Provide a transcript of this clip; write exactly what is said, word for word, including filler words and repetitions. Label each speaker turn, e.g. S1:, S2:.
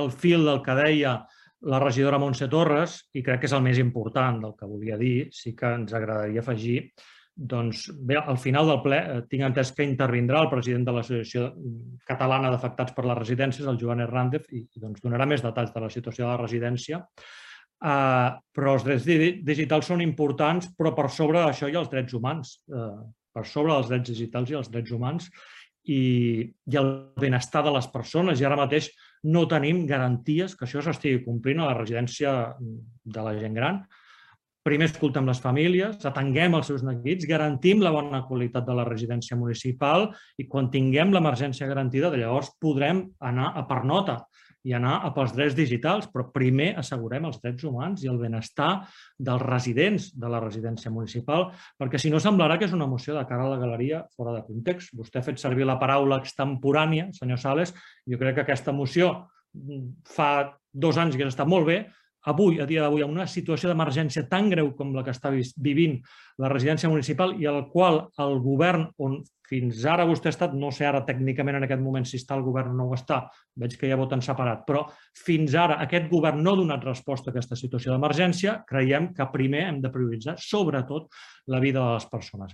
S1: el fil del que deia la regidora Montse Torres, i crec que és el més important del que volia dir, sí que ens agradaria afegir, doncs bé, al final del ple tinc entès que intervindrà el president de l'Associació Catalana d'Afectats per les Residències, el Joan Hernández, i doncs donarà més detalls de la situació de la residència. Però els drets digitals són importants, però per sobre d'això hi ha els drets humans, per sobre dels drets digitals i els drets humans, i el benestar de les persones. I ara mateix no tenim garanties que això s'estigui complint a la residència de la gent gran. Primer escoltem les famílies, atenguem els seus neguits, garantim la bona qualitat de la residència municipal i quan tinguem l'emergència garantida, llavors podrem anar a per nota i anar a pels drets digitals, però primer assegurem els drets humans i el benestar dels residents de la residència municipal, perquè si no semblarà que és una moció de cara a la galeria fora de context. Vostè ha fet servir la paraula extemporània, senyor Sales, jo crec que aquesta moció fa dos anys que ha estat molt bé. Avui, a dia d'avui, en una situació d'emergència tan greu com la que està vivint la residència municipal i al qual el govern, on fins ara vostè ha estat, no sé ara tècnicament en aquest moment si està el govern o no ho està, veig que ja voten separat, però fins ara aquest govern no ha donat resposta a aquesta situació d'emergència, creiem que primer hem de prioritzar sobretot la vida de les persones.